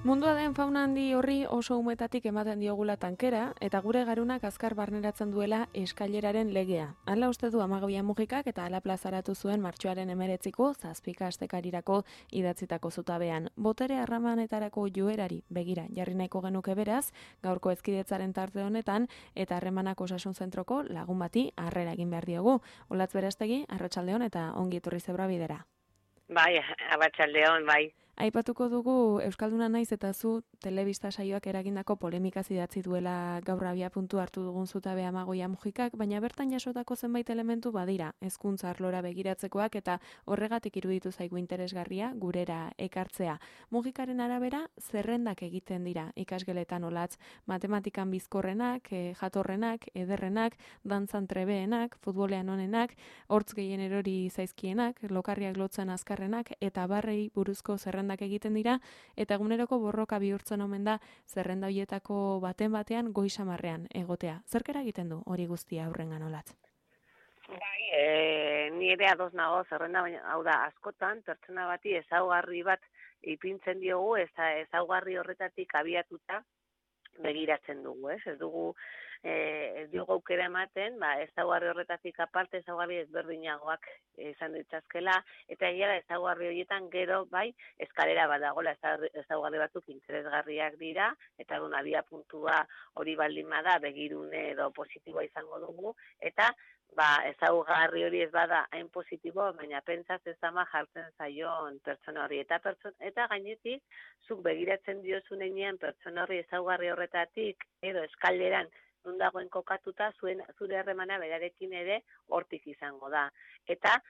Mundua den fauna handi horri oso umetatik ematen diogula tankera, eta gure garunak azkar barneratzen duela eskaileraren legea. Hala uste du Amagoia Mujikak eta hala plazaratu zuen martxoaren 19ko zazpika astekarirako idatzitako zutabean. Botere harremanetarako joerari begira jarri nahiko genuke beraz, gaurko ezkidetzaren tarte honetan, eta harremanak osasun zentroko lagun bati harrera egin behar diogu. Olatz Berastegi, arratsaldeon eta ongi etorri Zebrabidera. Bai, arratsaldeon, bai. Aipatuko dugu Euskalduna naiz eta zu telebista saioak eragindako polemikaz idatzi duela gaur abiapuntu hartu dugun zutabe Amagoia Mujikak, baina bertan jasotako zenbait elementu badira, hezkuntza arlora begiratzekoak eta horregatik iruditu zaigu interesgarria gurera ekartzea. Mujikaren arabera zerrendak egiten dira ikasgeletan Olatz, matematikan bizkorrenak, jatorrenak, ederrenak, dantzan trebeenak, futbolean onenak, hortz gehien erori zaizkienak, lokarriak lotzen azkarrenak eta barrei buruzko zerrendak egiten dira, eta eguneroko borroka bihurtzen omen da zerrenda hoietako baten goizamarrean egotea. Zerkera egiten du hori guztia aurrengan Olatz? Bai, ni ere ados nago zerrenda, baina hau da, askotan pertsona bati ezaugarri bat ipintzen diogu, ezaugarri horretatik abiatuta begiratzen dugu, ez? Ez dugu aukera ematen, ezaugarri horretatik aparte ezaugarri ezberdinagoak izan ditzazkela, eta egia da ezaugarri horietan gero bai eskalera bat dagoela, ezaugarri batzuk interesgarriak dira, eta abia puntua hori baldin bada begirune edo positiboa izango dugu, eta ezaugarri hori ez bada hain positibo, baina pentsaz ez ama jartzen zaion pertsona hori. Eta gainetik, zuk begiratzen diozun heinean pertsona hori ezaugarri horretatik, edo eskaleran non dagoen kokatuta, zure harremana berarekin ere hortik izango da. Eta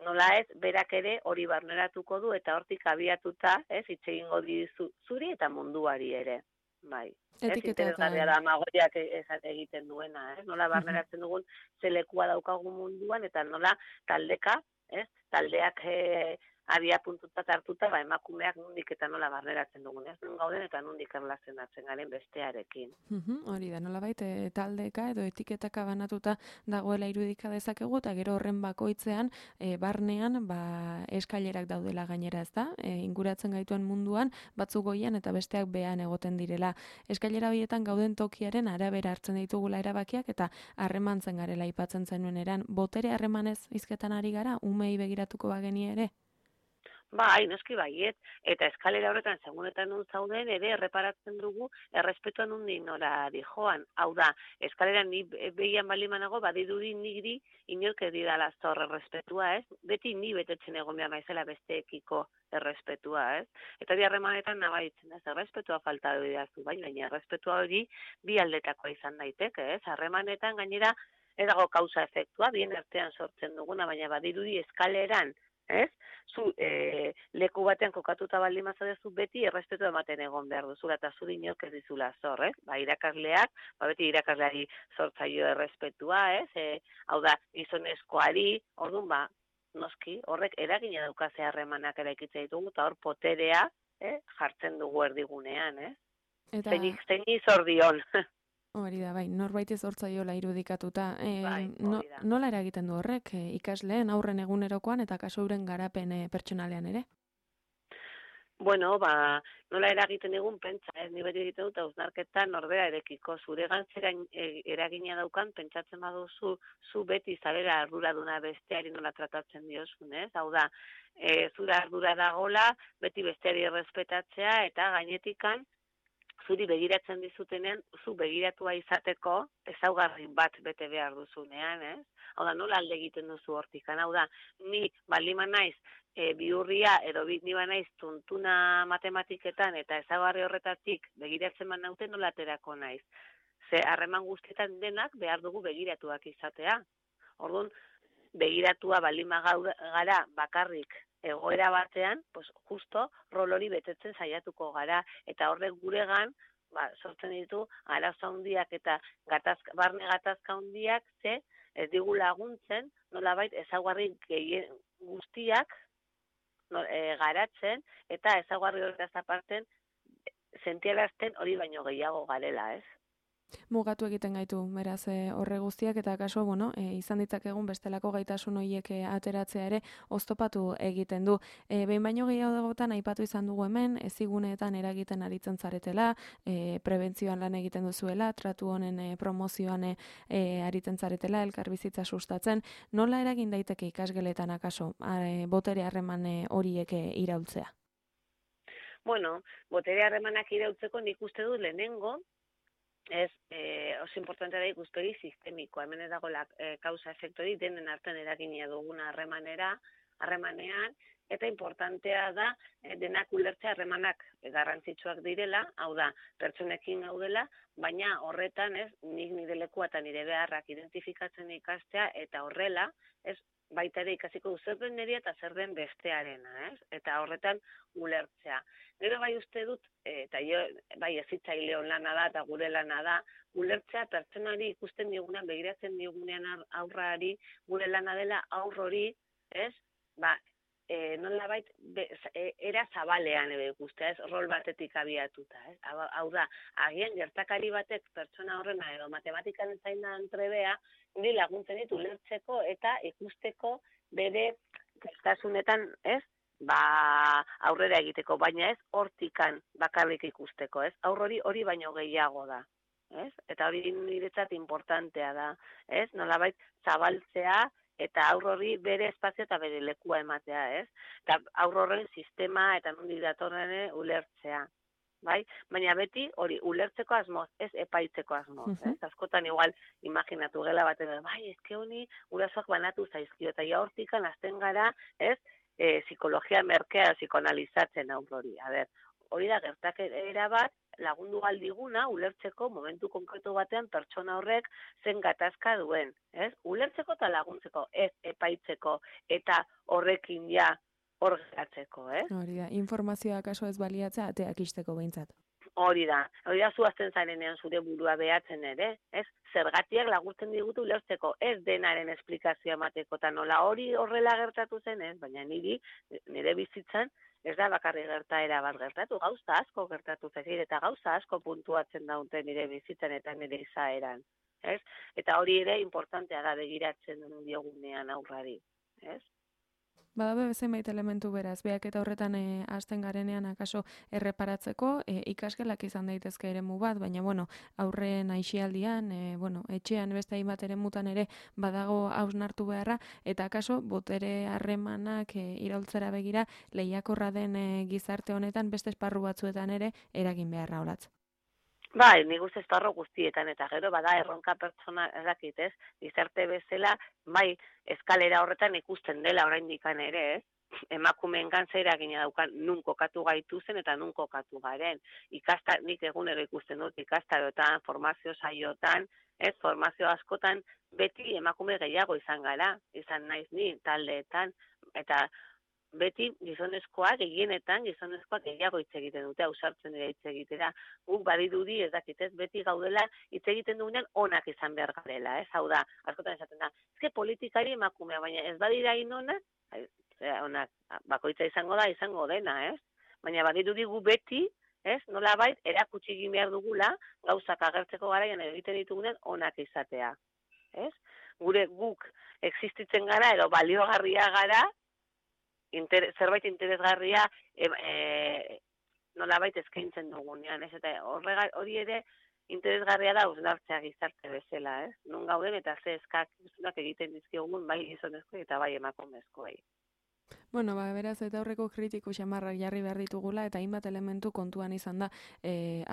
nola ez, berak ere hori barneratuko du, eta hortik abiatuta, hitz egingo dizu zuri eta munduari ere. Bai. Interesgarria da Amagoiak egiten duena, nola barneratzen dugun zelekua daukagu munduan, eta nola taldeka, taldeak abia puntuta hartuta, emakumeak nondik eta nola barneratzen dugun, non gauden eta nondik erlazionatzen garen bestearekin. Hori da, nolabait taldeka edo etiketaka banatuta dagoela irudika dezakegu, eta gero horren bakoitzean, barnean, eskailerak daudela gainera, ez da? Inguratzen gaituen munduan, batzuk goian eta besteak behan egoten direla. Eskailera horietan gauden tokiaren arabera hartzen ditugula erabakiak, eta harremantzen garela aipatzen zenuen eran. Botere harremanez hizketan ari gara, umei begiratuko bageni ere? Bai, noski baiet, eta eskalera horretan segunetan nun zauden ere erreparatzen dugu errespetuan nondik nora dijoan. Hau da, eskaleran ni behian balimanago badirudi niri inork ez didala zor errespetua, ez? Beti ni betetzen egon behar naizela besteekiko errespetua, ez? Eta bi harremanetan nabaritzen, ez? Errespetua falta didazu, baina errespetua hori bi aldetakoa izan daiteke, ez? Harremanetan gainera ez dago kausa efektua, bien artean sortzen duguna, baina badirudi eskaleran, ez? Zu leku batean kokatuta baldin bazadezu beti errespetu ematen egon behar duzula, eta zuri inork ez dizula zor, ez? Irakasleak, beti irakasleari zortzaio errespetua, ez? Hau da, gizonezkoari, orduan, noski, horrek eragina daukaze harremanak eraikitzen ditugu, eta hor poterea jartzen dugu erdigunean, ez? Zeini zor dion. Hori da, bai, norbait ez hortzaiola irudikatuta. Da. Nola eragiten du horrek ikasleen aurren egunerokoan eta kasu euren garapen pertsonalean ere? Bueno, nola eragiten egun pentsa, ni beti egiten dut hausnarketan norbera erekiko zure gantzeran eragina daukan, pentsatzen baduzu zu beti zabera arduraduna besteari nola tratatzen diozun, ez? Hau da, zure ardura dagola, beti besteari errespetatzea eta gainetikan zuri begiratzen dizutenean, zu begiratua izateko ezaugarri bat bete behar duzunean, ez? Hau da, nola alde egiten duzu hortikan? Hau da, ni balima naiz bihurria edo ni banaiz tuntuna matematiketan eta ezaugarri horretatik begiratzen naute nola aterako naiz. Ze harreman guztietan denak behar dugu begiratuak izatea. Orduan, begiratua balima gara bakarrik egoera batean, pues justo rol hori betetzen saiatuko gara, eta horrek guregan sortzen ditu arazo handiak eta barne gatazka handiak ez digu laguntzen, nolabait ezaugarri gehien guztiak garatzen, eta ezaugarri horretaz aparten sentiarazten hori baino gehiago garela, ez? Mugatu egiten gaitu, beraz horre guztiak eta kaso, bueno, izan ditzakegun bestelako gaitasun horiek ateratzea ere oztopatu egiten du. Behin baino gehiagotan aipatu izan dugu hemen, eziguneetan eragiten aritzen zaretela, prebentzioan lan egiten duzuela, tratu honen promozioan aritzen zaretela, elkarbizitza sustatzen, nola eragin daiteke ikasgeletan akaso, botere harreman horiek iraultzea? Bueno, botere harremanak iraultzeko nik uste dut lehenengo, oso importantea da ikuspegi sistemikoa. Hemen ez dago kausa efektori denen artean eragina duguna harremanean, eta importantea da denak ulertzea harremanak garrantzitsuak direla, hau da, pertsonekin gaudela, baina horretan nik nire lekua eta nire beharrak identifikatzen ikastea, eta horrela, baita ere ikasiko du zer den nirea eta zer den bestearena, eta horretan ulertzea. Gero bai uste dut, eta bai hezitzaileon lana da eta gure lana da, ulertzea pertsonari ikusten digunean, begiratzen digunean aurrari, gure lana dela aur hori, nolabait era zabalean ikustea, rol batetik abiatuta, Hau da, agian gertakari batek pertsona horrena edo matematikan zainan trebea, ni laguntzen ditu ulertzeko eta ikusteko bere prestasunetan, aurrera egiteko, baina ez hortikan bakarrik ikusteko, Aur hori baino gehiago da, Eta hori niretzat importantea da, Nolabait zabaltzea eta aur hori bere espazio eta bere lekua ematea, Eta aur horren sistema eta nondik datorren ulertzea. Bai? Baina beti hori ulertzeko asmoz, ez epaitzeko asmoz. Askotan igual imaginatu gela baten, eske honi gurasoak banatu zaizkio, eta ja hortikan hasten gara, psikologia merkea psikoanalizatzen aur hori. Hori da gertakera bat lagundu galdiguna ulertzeko momentu konkretu batean pertsona horrek zen gatazka duen. Ulertzeko eta laguntzeko, ez epaitzeko eta horrekin ja hor geratzeko. Hori da, informazioa kaso ez baliatzea ateak isteko behintzat. Hori da zuazten zarenean zure burua behatzen ere, zergatiak laguntzen digutu ulertzeko, ez denaren esplikazioa emateko, eta nola hori horrela gertatu zen, baina nire bizitzan, ez da bakarri gertaera bat gertatu, gauza asko gertatu zegir, eta gauza asko puntuatzen daute nire bizitzan eta nire izaeran. Eta hori ere importantea da begiratzen diogunean aurrari. Badabe zenbait elementu beraz, beak eta horretan hasten garenean akaso erreparatzeko, ikasgelak izan daitezke eremu bat, baina aurren aisialdian, etxean beste hainbat eremutan ere badago hausnartu beharra, eta akaso botere harremanak iraultzera begira lehiakorra den gizarte honetan beste esparru batzuetan ere eragin beharra olatz. Bai, nik uste esparru guztietan, eta gero bada erronka pertsona ezakit, gizarte bezala, bai, eskalera horretan ikusten dela oraindikan ere, emakumeen gantza eragina daukan nun kokatu gaituzen eta nun kokatu garen. Nik egunero ikusten dut ikastaroetan, formazio saiotan, formazio askotan beti emakume gehiago izan gara, izan naiz ni taldeetan, eta beti gizonezkoak, gehienetan gizonezkoak gehiago hitz egiten dute, ausartzen dira hitz egitera. Guk badirudi ez dakitez, beti gaudela hitz egiten dugunean onak izan behar garela, Hau da, askotan esaten da, politikari emakumea, baina ez badira inonak, onak, bakoitza izango dena, Baina badirudi gu beti, nolabait, erakutsi egin behar dugula, gauzak agertzeko garaian egiten ditugunean onak izatea, Guk existitzen gara, edo baliogarria gara, zerbait interesgarria nolabait eskaintzen dugunean, eta hori ere interesgarria da hausnartzea gizarte bezala, non gauden eta ze eskakizunak egiten dizkiogun bai gizonezko eta bai emakumezkoei. Beraz, eta horreko kritiko xamarrak jarri behar ditugula, eta hainbat elementu kontuan izan da,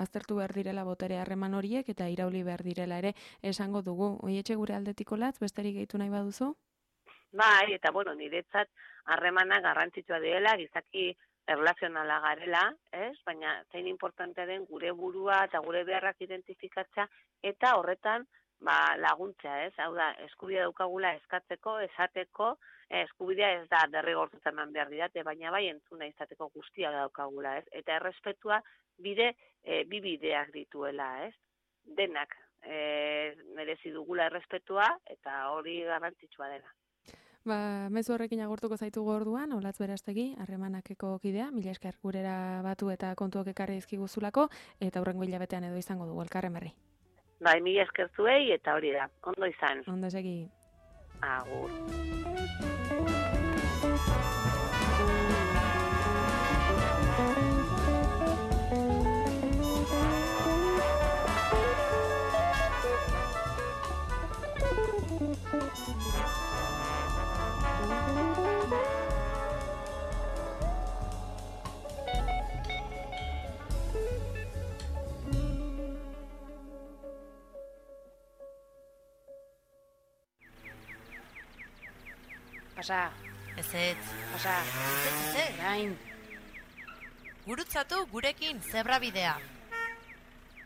aztertu behar direla botere harreman horiek, eta irauli behar direla ere esango dugu. Oietxe gure aldetiko latz, besterik gehitu nahi baduzu? Bai, eta niretzat harremana garrantzitsua direla, gizaki erlazionala garela, baina zein importantea den gure burua eta gure beharrak identifikatzea, eta horretan laguntzea, Hau da, eskubidea daukagula eskatzeko, esateko, eskubidea ez da derrigortuta eman behar didate, baina bai entzuna izateko guztia daukagula, Eta errespetua bi bideak dituela, Denak merezi dugula errespetua, eta hori garrantzitsua dela. Mezu horrekin agurtuko zaitugu orduan, Olatz Berastegi, harremanakeko kidea, mila esker gurera batu eta kontuak ekarri dizkiguzulako, eta hurrengo hilabetean edo izango dugu elkarren berri. Bai, mila esker zuei eta hori da. Ondo izan. Ondo segi. Agur. Pasa. Ez. Pasa. Ez. Orain. Gurutzatu gurekin zebra bidea.